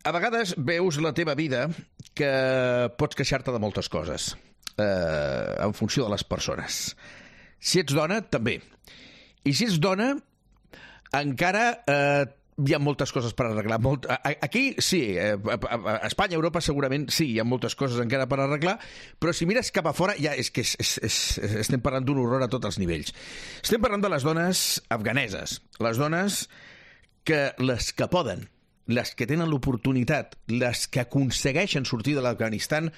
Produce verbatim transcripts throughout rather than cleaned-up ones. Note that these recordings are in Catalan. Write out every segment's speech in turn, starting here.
a vegades veus la teva vida que pots queixar-te de moltes coses, eh, en funció de les persones. Si ets dona, també. I si ets dona, encara eh, hi ha moltes coses per arreglar. Molt... Aquí sí, a Espanya, a Europa segurament sí, hi ha moltes coses encara per arreglar, però si mires cap a fora ja és que és, és, és, estem parlant d'un horror a tots els nivells. Estem parlant de les dones afganeses, les dones que les que poden, les que tenen l'oportunitat, les que aconsegueixen sortir de l'Afganistan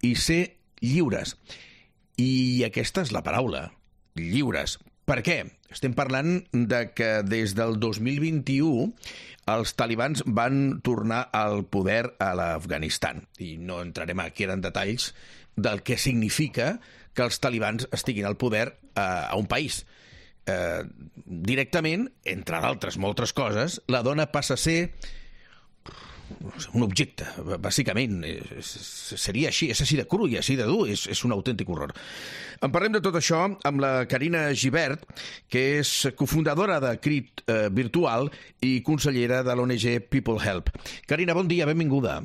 i ser lliures. I aquesta és la paraula, lliures. Per què? Estem parlant de que des del dos mil vint-i-u els talibans van tornar al poder a l'Afganistan. I no entrarem aquí en detalls del que significa que els talibans estiguin al poder eh, a un país. Eh, directament, entre d'altres moltes coses, la dona passa a ser un objecte, bàsicament. Seria així, és així de cru i així de dur, és, és un autèntic horror. En parlem de tot això amb la Carina Gibert, que és cofundadora de Crit eh, Virtual i consellera de l'O N G People Help. Carina, bon dia, benvinguda.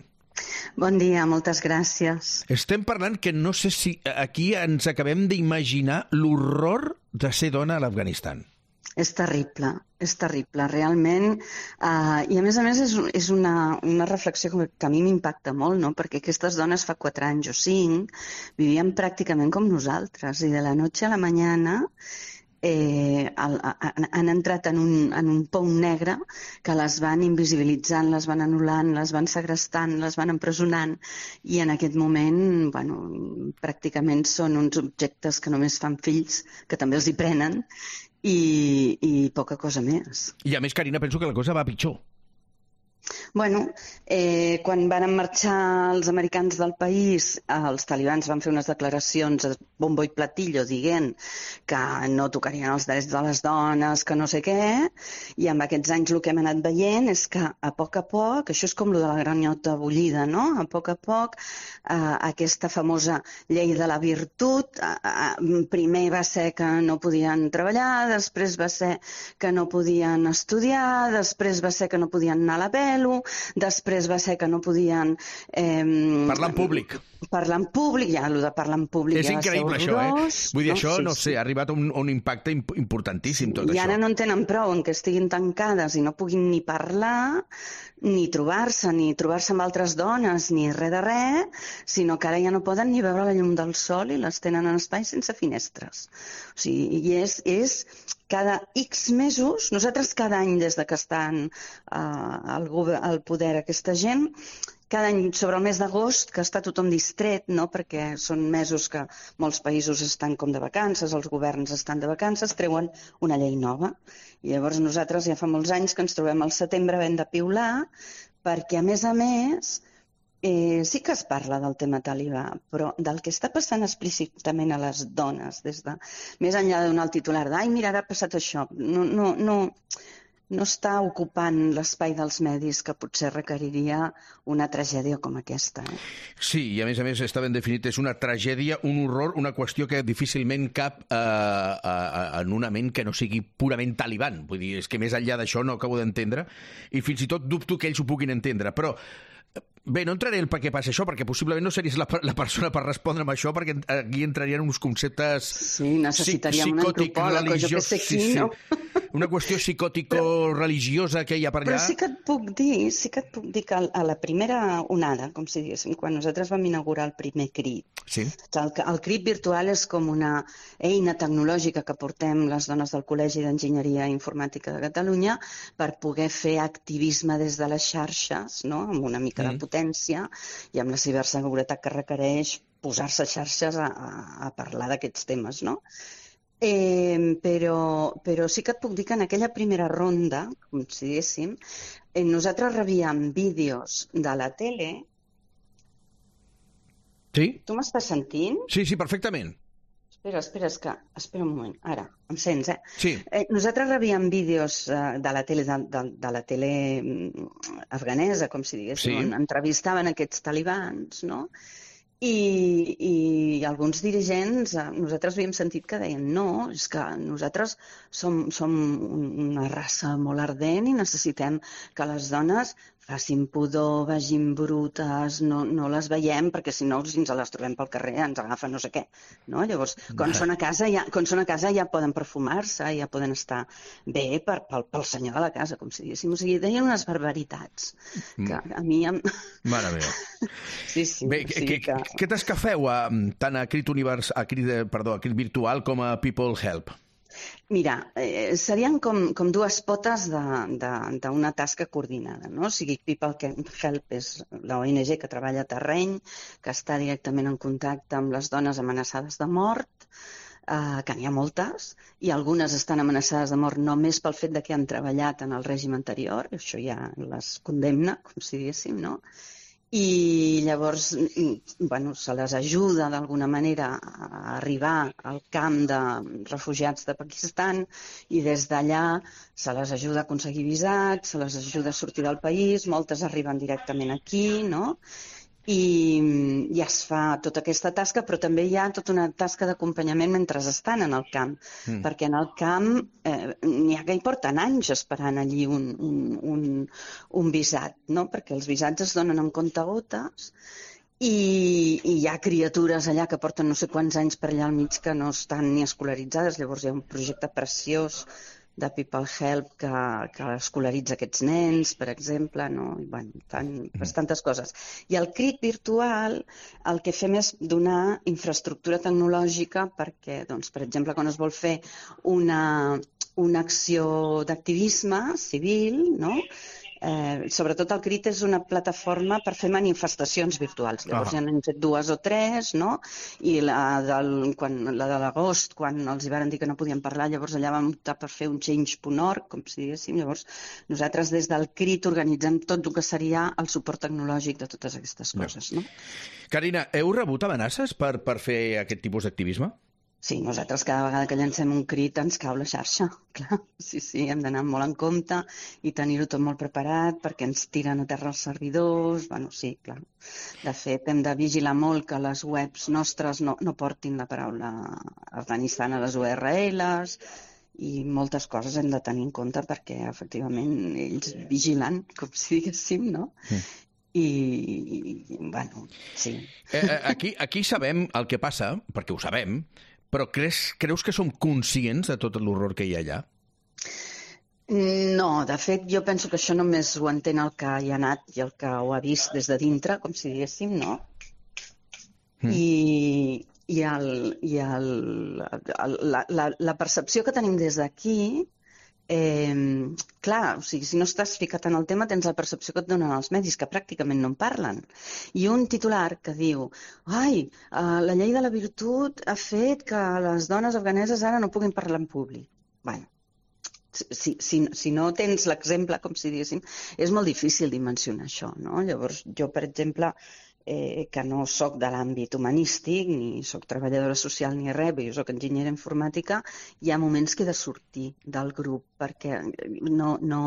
Bon dia, moltes gràcies. Estem parlant que no sé si aquí ens acabem d'imaginar l'horror de ser dona a l'Afganistan. És terrible, és terrible, realment. Uh, I a més a més és, és una, una reflexió que, que a mi m'impacta molt, no? Perquè aquestes dones fa quatre anys o cinc vivien pràcticament com nosaltres i de la noche a la mañana eh, el, han entrat en un, en un pou negre que les van invisibilitzant, les van anul·lant, les van segrestant, les van empresonant i en aquest moment, bueno, pràcticament són uns objectes que només fan fills, que també els hi prenen, I, i poca cosa més. I a més, Carina, penso que la cosa va pitjor. Bueno, eh, quan van marxar els americans del país, els talibans van fer unes declaracions a bombo i platillo dient que no tocarien els drets de les dones, que no sé què, i amb aquests anys el que hem anat veient és que a poc a poc, això és com lo de la granyota bullida, no? A poc a poc, eh, aquesta famosa llei de la virtut, eh, primer va ser que no podien treballar, després va ser que no podien estudiar, després va ser que no podien anar a la pelo, després va ser que no podien... Eh, parlar en públic. Parlar en públic, ja, allò de parlar en públic és ja increïble, va ser horrorós. Això, eh? Vull dir, no? això, sí, no sé, sí. ha arribat a un, un impacte importantíssim, tot I això. I ara no en tenen prou, en què estiguin tancades i no puguin ni parlar, ni trobar-se, ni trobar-se amb altres dones, ni res de res, sinó que ara ja no poden ni veure la llum del sol i les tenen en espais sense finestres. O sigui, i és... és cada X mesos, nosaltres cada any des de que estan uh, al, al poder aquesta gent, cada any sobre el mes d'agost, que està tothom distret, no? Perquè són mesos que molts països estan com de vacances, els governs estan de vacances, treuen una llei nova. I llavors nosaltres ja fa molts anys que ens trobem al setembre havent de piular, perquè a més a més... Eh, sí que es parla del tema talibà, però del que està passant explícitament a les dones, des de més enllà de donar el titular de «ai, mira, ara ha passat això», no, no, no, no està ocupant l'espai dels medis que potser requeriria una tragèdia com aquesta. Eh? Sí, i a més a més està ben definit, és una tragèdia, un horror, una qüestió que difícilment cap eh, eh, en una ment que no sigui purament taliban. Vull dir, és que més enllà d'això no acabo d'entendre, i fins i tot dubto que ells ho puguin entendre, però... Bé, no entraré en per què passa això, perquè possiblement no series la, la persona per respondre amb això, perquè aquí entrarien uns conceptes sí, necessitaríem un antropòleg, o jo que sé qui, sí, sí. no? Una qüestió psicòtico-religiosa que hi ha per allà. Però sí que et puc dir, sí que et puc dir que a la primera onada, com si diguéssim, quan nosaltres vam inaugurar el primer CRIT, sí. el, el CRIT virtual és com una eina tecnològica que portem les dones del Col·legi d'Enginyeria Informàtica de Catalunya per poder fer activisme des de les xarxes, no? Amb una mica mm. de potència i amb la ciberseguretat que requereix posar-se a xarxes a, a, a parlar d'aquests temes, no? Eh, però, però sí que et puc dir que en aquella primera ronda, com si diguéssim, eh, nosaltres rebíem vídeos de la tele. Sí? Tu m'estàs sentint? Sí, sí, perfectament. Espera, espera, és que... Espera un moment, ara, em sents, eh? Sí. Eh, nosaltres rebíem vídeos eh, de la tele, de, de, de la tele afganesa, com si diguéssim, sí. On entrevistaven aquests talibans, no? I, i alguns dirigents, nosaltres havíem sentit que deien no, és que nosaltres som, som una raça molt ardent i necessitem que les dones facin pudor, vagin brutes, no, no les veiem, perquè si no, si ens les trobem pel carrer, ens agafa no sé què. No? Llavors, quan són a casa ja, quan són a casa ja poden perfumar-se, ja poden estar bé per, pel, pel senyor de la casa, com si diguéssim. O sigui, deien unes barbaritats que a mi... Em... Mare meva. Sí, sí. Bé, o sigui que... què t'escafeu a, tant a Crit Univers, a Crit, perdó, a Crit Virtual com a People Help? Mira, eh, serien com, com dues potes d'una tasca coordinada, no? O sigui, People Help és l'O N G que treballa a terreny, que està directament en contacte amb les dones amenaçades de mort, eh, que n'hi ha moltes, i algunes estan amenaçades de mort només pel fet de que han treballat en el règim anterior, això ja les condemna, com si diguéssim, no? I llavors, bueno, se les ajuda d'alguna manera a arribar al camp de refugiats de Pakistan i des d'allà se les ajuda a aconseguir visats, se les ajuda a sortir del país, moltes arriben directament aquí, no? I, i es fa tota aquesta tasca, però també hi ha tota una tasca d'acompanyament mentre estan en el camp, mm. perquè en el camp eh, n'hi ha que hi porten anys esperant allí un, un, un, un visat, no? Perquè els visats es donen amb comptagotes i, i hi ha criatures allà que porten no sé quants anys per allà al mig que no estan ni escolaritzades, llavors hi ha un projecte preciós de People Help que, que escolaritza aquests nens, per exemple, no? I, bueno, fan bastantes coses. I al Crit Virtual el que fem és donar infraestructura tecnològica perquè, doncs, per exemple, quan es vol fer una, una acció d'activisme civil, no? Eh, sobretot el Crit és una plataforma per fer manifestacions virtuals. Llavors ah. ja n'hem fet dues o tres, no? I la, del, quan, la de l'agost, quan els hi varen dir que no podien parlar, llavors allà vam optar per fer un change punt org, com si diguéssim. Llavors nosaltres des del Crit organitzem tot el que seria el suport tecnològic de totes aquestes coses, no? Carina, heu rebut amenaces per, per fer aquest tipus d'activisme? Sí, nosaltres cada vegada que llancem un crit ens cau la xarxa, clar. Sí, sí, hem d'anar molt en compte i tenir-ho tot molt preparat perquè ens tiren a terra els servidors. Bueno, sí, clar. De fet, hem de vigilar molt que les webs nostres no, no portin la paraula Afganistan a les U R Ls i moltes coses hem de tenir en compte perquè, efectivament, ells vigilen, com si diguéssim, no? Mm. I, i, bueno, sí. Eh, aquí, aquí sabem el que passa, perquè ho sabem, però creus, creus que som conscients de tot l'horror que hi ha allà? No, de fet, jo penso que això només ho entén el que hi ha anat i el que ho ha vist des de dintre, com si diguéssim, no? Mm. I, i, el, i el, el, la, la, la percepció que tenim des d'aquí, eh, clar, o sigui, si no estàs ficat en el tema tens la percepció que et donen els medis, que pràcticament no en parlen. I un titular que diu ai, uh, la llei de la virtut ha fet que les dones afganeses ara no puguin parlar en públic. Bueno, si, si, si no tens l'exemple, com si diguéssim, és molt difícil dimensionar això, no? Llavors, jo, per exemple, eh, que no sóc de l'àmbit humanístic, ni sóc treballadora social ni res, jo sóc enginyera informàtica, hi ha moments que he de sortir del grup perquè no, no,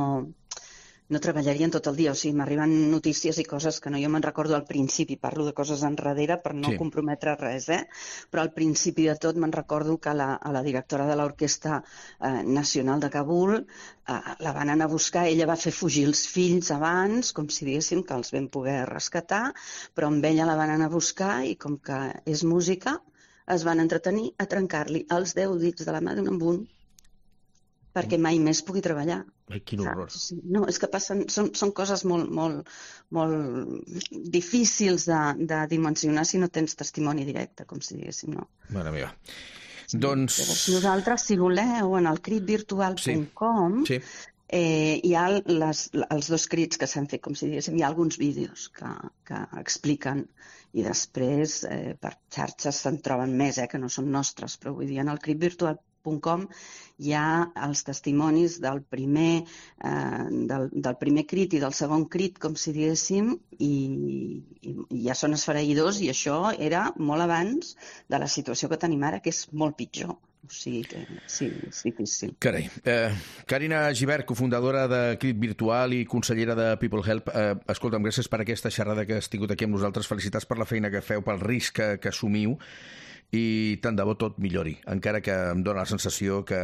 no treballarien tot el dia. O sigui, m'arriben notícies i coses que no jo me'n recordo al principi, parlo de coses enrere per no sí. comprometre res, eh? Però al principi de tot me'n recordo que la, a la directora de l'Orquestra eh, Nacional de Kabul eh, la van anar a buscar, ella va fer fugir els fills abans, com si diguéssim que els vam poder rescatar, però amb ella la van anar a buscar i com que és música es van entretenir a trencar-li els deu dits de la mà d'un en un perquè mai més pugui treballar. Ai, quin horror. Sí, no, és que passen, són, són coses molt, molt, molt difícils de, de dimensionar si no tens testimoni directe, com si diguéssim, no? Mare meva. Sí, doncs... Nosaltres, si voleu, en el crit virtual punt com sí. Sí. Eh, hi ha les, els dos crits que s'han fet, com si diguéssim, hi ha alguns vídeos que, que expliquen i després eh, per xarxes se'n troben més, eh, que no són nostres, però vull dir, en el crit virtual punt com hi ha els testimonis del primer, eh, del, del primer crit i del segon crit, com si diguéssim, i, i, i ja són esfereïdors i això era molt abans de la situació que tenim ara, que és molt pitjor. O sigui que sí, és difícil. Carai. Eh, Carina Gibert, cofundadora de Crit Virtual i consellera de People Help, eh, escolta'm, gràcies per aquesta xerrada que has tingut aquí amb nosaltres. Felicitats per la feina que feu, pel risc que, que assumiu i tant de bo tot millori, encara que em dóna la sensació que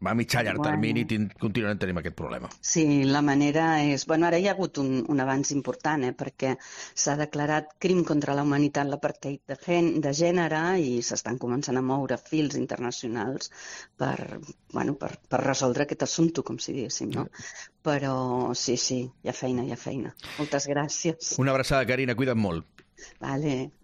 a mitjà llarg Bueno. termini tin- continuarem tenint aquest problema. Sí, la manera és... Bueno, ara hi ha hagut un, un avanç important, eh, perquè s'ha declarat crim contra la humanitat l'apartheid de, gen, de gènere i s'estan començant a moure fils internacionals per, bueno, per, per resoldre aquest assumpte, com si diguéssim, no? Però sí, sí, hi ha feina, hi ha feina. Moltes gràcies. Una abraçada, Carina, cuida't molt. Vale.